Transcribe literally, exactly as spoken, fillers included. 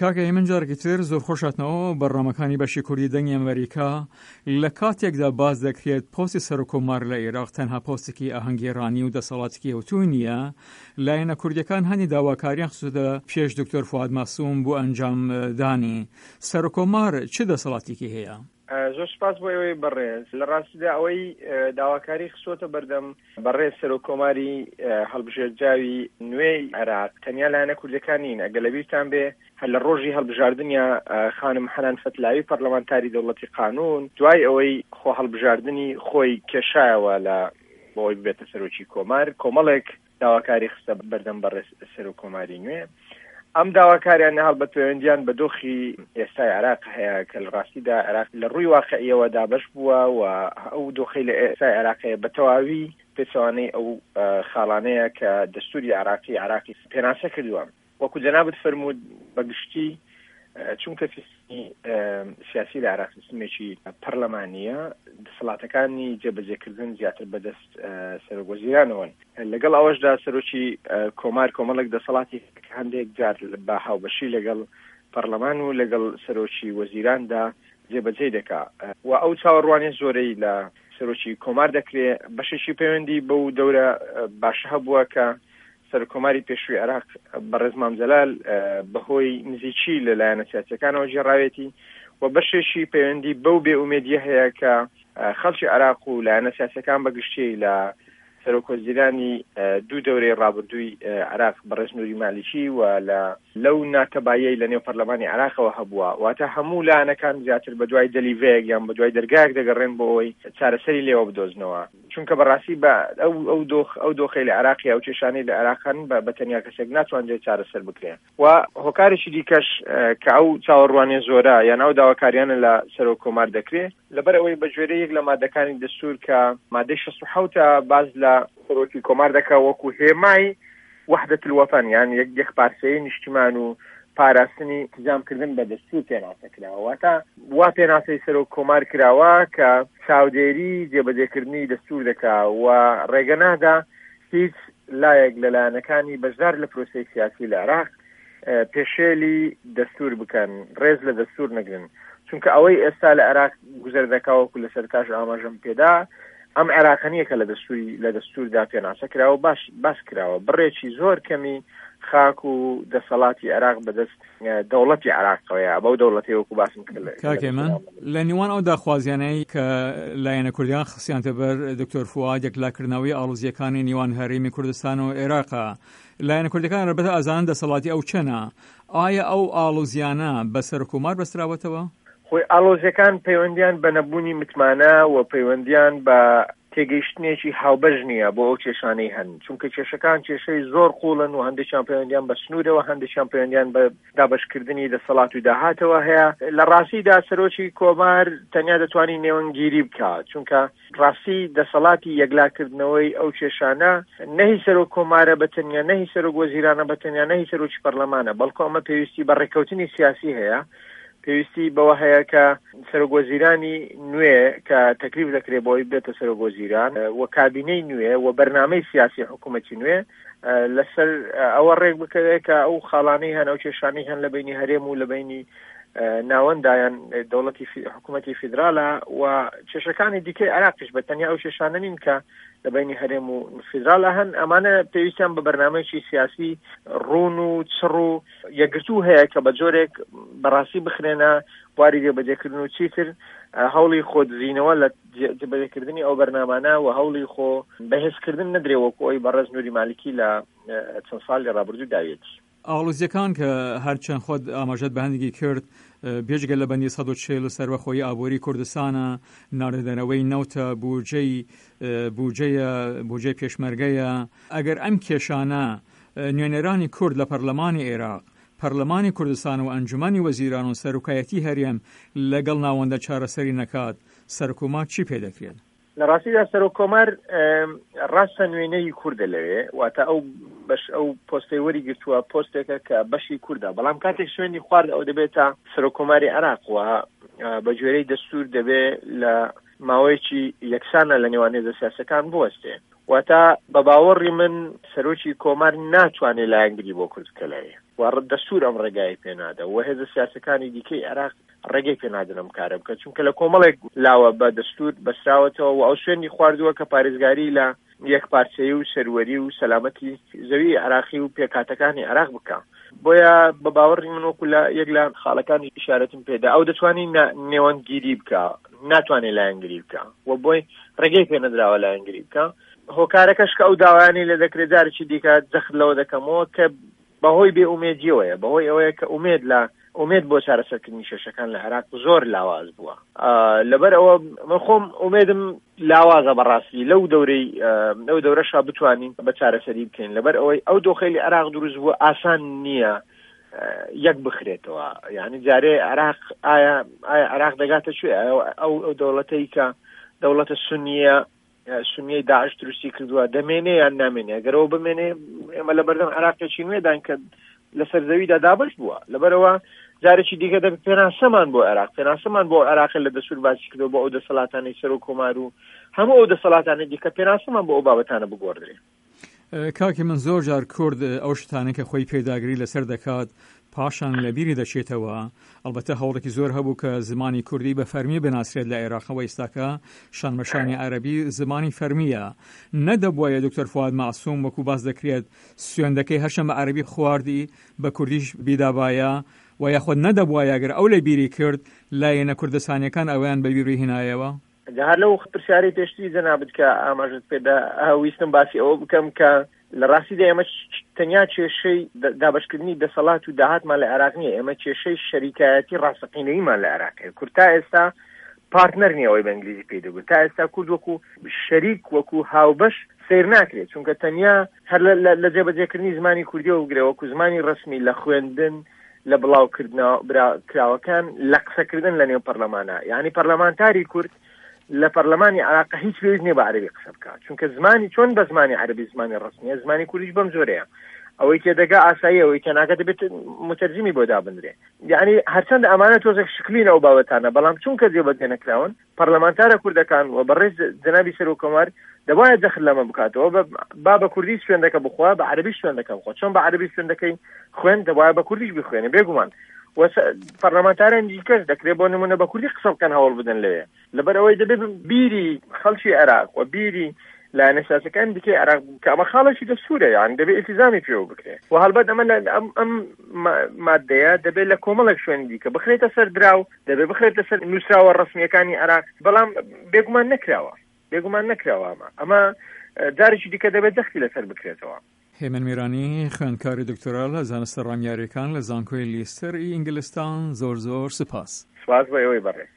کاکە هێمن جارێکی تر زۆر خۆش هاتنەوە بەرنامەکانی بەشی کوردی دەنگی ئەمریکا. لە کاتێکدا باس دەکرێت پۆستی سەرۆککۆمار لە عێراق تەنها پۆستێکی ئاهەنگگێڕانی و دەسەڵاتێکی ئەوتۆی نییە، لایەنە کوردیەکان هەندی داواکاریان خستووەتە پێش دکتۆر فواد مەعسوم بۆ ئەنجامدانی. سەرۆککۆمار چ دەسەڵاتێکی هەیە؟ زۆر سپاس بۆ ئێوەی بەڕێز. لە ڕاستیدا ئەوەی داواکاری خستووەتە بەردەم بەڕێز سەرۆککۆماری هەڵبژێردراوی نوێی عێراق تەنیا لایەنە کوردەکان نین. ئەگەر لەبیرتان بێ هەر لە ڕۆژی هەڵبژاردنیا خانم حەنان فەتلاوی پەرلەمانتاری دەوڵەتی قانون دوای ئەوەی خۆ هەڵبژاردنی خۆی کێشایەوە لە بۆی ببێتە سەرۆکی کۆمار، کۆمەڵێک داواکاری خستە بەردەم بەڕێز سەرۆککۆماری نوێ. ئەم داواکاریانە هەڵبەت پەیوەندیان بە دۆخی ئێستای عێراق هەیە کە لە ڕاستیدا عێراق لە ڕووی واقعیەوە دابەش بووە و ئەو دۆخەی لە ئێستای عێراق هەیە بە تەواوی پێچەوانەی ئەو خاڵانەیە کە دەستوری عێراقی عێراقی پێناسە کردووە. وەکو جەنابت فەرموود بەگشتی چونکە سیستمی سیاسی لە عێراق سیستمێکی پەرلەمانیە، دەسەڵاتەکانی جێبەجێکردن زیاتر بەدەست سەرۆک وەزیرانەوەن. لەگەڵ ئەوەشدا سەرۆکی کۆمار کۆمەڵێک دەسەڵاتی هەندێک جار بە هاوبەشی لەگەڵ پەرلەمان و لەگەڵ سەرۆکی وەزیراندا جێبەجێ دەکا و ئەو چاوەڕوانیە زۆرەی لە سەرۆکی کۆمار دەکرێ بەشێکی پەیوەندی بەو دەورە باشە هەبووە کە سەرکۆماری پێشووی عێراق بەڕێز مام جەلال بەهۆی نزیکی لە لایەنە سیاسیەکانەوە گێڕاوێتی و بەشێکی پەیوەندی بەو بێئومێدیە هەیە کە خەڵکی عێراق و لایەنە سیاسیەکان بەگشتی لە سەرۆک وەزیرانی دوو دەورەی ڕابردووی عێراق بەڕێز نوری مالیکی و لە لەو ناتەبایەی لە نێو پەرلەمانی عێراقەوە هەبووە. واتە هەموو لایەنەکان زیاتر بە دوای دەلیڤەیەک یان بە دوای دەرگایەک دەگەڕێن بۆ ئەوەی چارەسەری لێوە بدۆزنەوە، چونکە بەڕاستی بە ئەو ئەو دۆخ ئەو دۆخەی لە عێراقی ئەو کێشانەی لە عێراق هەن بە تەنیا کەسێک ناتوانرێت چارەسەر بکرێ. و هۆکارێکی دیکەش کە ئەو چاوەڕوانیە زۆرە یان ئەو داواکاریانە لە سەرۆک کۆمار دەکرێ لەبەر ئەوەی بە گوێرەی یەک لە مادەکانی دەستور کە مادەی شەست و حەوتە باز لە سەرۆکی کۆمار دەکا وەکو هێمای وحدة الوطن یان یەک یەکپارچەیی نیشتیمان و پاراستنی التزامکردن بە دەستور پێناسە کراوە. واتە وا پێناسەی سەرۆک کۆمار کراوە کە چاودێری جێبەجێکردنی دەستور دەکا و ڕێگە نادا هیچ لایەک لە لایەنەکانی بەشدار لە پرۆسەی سیاسی لە عێراق پێشێلی دەستور بکەن، ڕێز لە دەستور نەگرن. چونکە ئەوەی ئێستا لە عێراق گوزەر دەکا وەکو لە سەرتاش ئاماژەم پێدا ئەم عێراقە نییە کە لە دەستوری لە دەستوردا پێناسە کراوە باش باس کراوە. بڕێکی زۆر کەمی خاک و دەسەڵاتی عێراق بەدەست دەوڵەتی عێراقەوەیە، بەو دەوڵەتی وەکو باسم کرد. کاک هێمن، لە نێوان ئەو داخوازیانەی کە لایەنە کوردیان خستیانتە بەر دکتۆر فواد یەکلاکردنەوەی ئاڵۆزییەکانی نێوان هەرێمی کوردستان و عێراقە، لایەنە کوردەکان ڕەبەتە ئازانن دەسەڵاتی ئەو چەنە، ئایا ئەو ئاڵۆزیانە بە سەرۆککۆمار بەستراوەتەوە؟ خۆی ئاڵۆزیەکان پەیوەندیان بە نەبوونی متمانە و پەیوەندیان بە تێگەیشتنێکی هاوبەش نییە بۆ ئەو کێشانەی هەن، چونکە کێشەکان کێشەی زۆر قوڵن و هەندێکیان پەیوەندیان بە سنوورەوە، هەندێکیان پەیوەندیان بە دابەشکردنی دەسەڵات و داهاتەوە هەیە. لە ڕاستیدا سەرۆکی کۆمار تەنیا دەتوانێت نێوەندگیری بکات، چونکە ڕاستی دەسەڵاتی یەکلاکردنەوەی ئەو کێشانە نەهی سەرۆک کۆمارە بە تەنیا، نەهی سەرۆک وەزیرانە بە تەنیا، نەهی سەرۆکی پەرلەمانە، بەڵکو ئەمە پێویستی بە ڕێککەوتنی سیاسی هەیە. پێویستی بەوە هەیە کە سەرۆک وەزیرانی نوێ کە تەکلیف دەکرێت بۆی بێتە سەرۆک وەزیران و کابینەی نوێ و بەرنامەی سیاسی حکوومەتی نوێ لەسەر ئەوە ڕێک بکەوێت کە ئەو خاڵانەی هەن، ئەو کێشانەی هەن لە بینی هەرێم و لە بینی ناوەندایان دەوڵەتی حکوومەتی فیدرالە و کێشەکانی دیکەی عێراقیش بە تەنیا ئەو کێشانە نین کە لە بینی هەرێم و فیدرالە هەن. ئەمانە پێویستیان بە بەرنامەیەکی سیاسی ڕوون و چڕ و یەکگرتوو هەیە کە بە جۆرێک بەڕاستی بخرێنە بواری جێبەجێکردن و چیتر هەوڵی خۆدزینەوە لە جێبەجێکردنی ئەو بەرنامانە و هەوڵی خۆ بەهێزکردن نەدرێ وەکو ئەوی بەڕێز نوری مالیکی لە چەند ساڵی ڕابردوو داوێتی. ئاڵۆزیەکان کە هەرچەند خۆت ئاماژەت بە هەندێکی کرد، بێجگە لە بەندی سەد و چهل سەربەخۆیی ئابووری کوردستانە، ناردەرەوەی نەوتە، بودجەی بودجەیە، بودجەی پێشمەرگەیە، ئەگەر ئەم کێشانە نوێنەرانی کورد لە پەرلەمانی عێراق، پەرلەمانی کوردستان و ئەنجومەنی وەزیران و سەرۆکایەتی هەرێم لەگەڵ ناوەندە چارەسەری نەکات، سەرکۆمار چی پێ دەکرێت؟ لە ڕاستیدا سەرۆک کۆمار ڕاستە نوێنەری کوردە لەوێ، واتە ئەو بەش ئەو پۆستەی وەری گرتووە پۆستێکە کە بەشی کوردە، بەڵام کاتێک سوێندی خوارد ئەو دەبێتە سەرۆک کۆماری عێراق و بە گوێرەی دەستور دەبێ لە ماوەیەکی یەکسانە لە نێوان هێزە سیاسەکان بوەستێ. واتە بە باوەڕی من سەرۆکی کۆمار ناتوانێت لایەنگری بۆ کورد بکە لەوێ. و دەستور ئەم ڕێگای پێنادا و هێزە سیاسەکانی دیکەی عێراق ڕێگەی پێنادن ئەم کارە بکە، چونکە لە کۆمەڵێک لاوە بە دەستور بەسراوەتەوە و ئەو شوێنی خواردووە کە پارێزگاری لە یەکپارچەیی و سەروەری و سەلامەتی زەوی عێراقی و پێکهاتەکانی عێراق بکە. بۆیە بە باوەڕی من وەکو لە یەک لە خاڵەکانی ئیشارەتم پێدا ئەو دەتوانێت نێوەندگیری بکە، ناتوانێت لایەنگیری بکە و بۆی ڕێگەی پێنەدراوە لایەنگیری بکە. هۆکارەکەش کە ئەو داوایانی لێ دەکرێت جارێکی دیکە جەخت لەوە دەکەمەوە کە بەهۆی بێ ئومێدیەوەیە، بەهۆی ئەوەیە کە ئومێد لە ئومێد بۆ چارەسەرکردنی کێشەکان لە عێراق زۆر لاواز بووە. لەبەر ئەوە من خۆم ئومێدم لاوازە بەڕاستی لەو دەورەی لەو دەورەشا بتوانین بە چارەسەری بکەین، لەبەر ئەوەی ئەو دۆخەی لە عێراق دروست بووە ئاسان نییە یەک بخرێتەوە. یعنی جارێ عێراق ئایا ئایا عێراق دەگاتە کوێ؟ ئەو ئەو دەوڵەتەی کە دەوڵەتە سونیە سونیەی داعش دروستی کردووە دەمێنێ یان نامێنێ؟ ئەگەرەوە بمێنێ ئێمە لە بەردەم عێراقێکی نوێدان کە لەسەر زەویدا دابەش بووە. لەبەرەوە جارێکی دیکە دەبێت پێناسەمان بۆ عێراق، پێناسەمان بۆ عێراق لە دەستور باسی کردەوە بۆ ئەو دەسەڵاتانەی سەرۆک کۆمار و هەموو ئەو دەسەڵاتانەی دیکە پێناسەمان بۆ ئەو بابەتانە بگۆڕدرێ. کاکی من زۆر جار کورد ئەو شتانە کە خۆی پێداگری لەسەر دەکات پاشان لەبیری دەچێتەوە. ئەلبەتە هەوڵێکی زۆر هەبوو کە زمانی کوردی بە فەرمی بناسرێت لە عێراقەوە، ئێستاکە شانبەشانی عەرەبی زمانی فەرمیە. نەدەبوایە دکتۆر فواد مەعسوم وەکو باس دەکرێت سوێندەکەی هەرچەند بە عەرەبی خواردی بە کوردیش بیدابایە، و یاخود نەدەبوایە ئەگەر ئەو لە بیری کرد لایەنە کوردستانیەکان ئەویان بە بیری هێنایەوە؟ هەر لەو پرسیارەی پێشتری جەنابت کە ئاماژەت پێدا ویستم باسی ئەوە بکەم کە لە ڕاستیدا ئێمە تەنیا کێشەی دابەشکردنی دەسەڵات و داهاتمان لە عێراق نییە، ئێمە کێشەی شەریکایەتی ڕاستەقینەییمان لە عێراق هەیە. کورد تا ئێستا پارتنەر نییە، ئەوەی بە ئینگلیزی پێی دەگوت. تا ئێستا کورد وەکو شەریک وەکو هاوبەش سەیر ناکرێت، چونکە تەنیا هەر لە جێبەجێکردنی زمانی کوردیەوە بگرێ وەکو زمانی ڕەسمی لە خوێندن، لە بڵاوکردنەوە کراوەکان، لە قسەکردن لە نێو پەرلەمانە. یعنی پەرلەمانتاری کورد لە پەرلەمانی عێراق هیچ پێویست نییە بە عەرەبی قسە بکات، چونکە زمانی چۆن بە زمانی عەرەبی زمانی ڕەسمیە، زمانی کوردیش بەم جۆرەیە. ئەوەی تێدەگا ئاسایی، ئەوەی تێناگە دەبێت متەرجمی بۆ دابنرێ. یعنی هەرچەند ئەمانە تۆزێک شکلین ئەو بابەتانە، بەڵام چونکە جێبەجێ نەکراون پەرلەمانتارە کوردەکان و بەڕێز جەنابی سەرۆک کۆمار دەبایە جەخت لەمە بکاتەوە، با بە کوردی سوێندەکە بخوا، بە عەرەبی سوێندەکە بخوا. چۆن بە عەرەبی سوێندەکەی خوێن دەبایە بە کوردیش بخوێنێ بێگومان. و پەرلەمانتاران دیکەش دەکرێت بۆ نمونە بە کوردی قسە بکەن، هەوڵ بدەن لەوێ. لەبەر ئەوەی دەبێت بیری خەڵکی عێراق و بیری لایەنە سیاسەکان دیکەی عێراق کە ئەمە خاڵێکی دەستوورە، یان دەبێت ئیلتیزامی پێوە بکرێت. و هەڵبەت ئەمە ئەم مادەیە دەبێت لە کۆمەڵێک شوێنی دیکە بخرێتە سەر دراو، دەبێت بخرێتە سەر نووسراوە ڕەسمیەکانی عێراق، بەڵام بێگومان نەکراوە، بێگومان نەکراوە. ئەمە ئەمە جارێکی دیکە دەبێت جەختی لەسەر بکرێتەوە. هێمن میرانی، خوێندکاری دکتۆرا لە زانستە ڕامیاریەکان لە زانکۆی لیستەر ئینگلستان، زۆر زۆر سپاس. سپاس بۆ ئێوەی بەڕێز.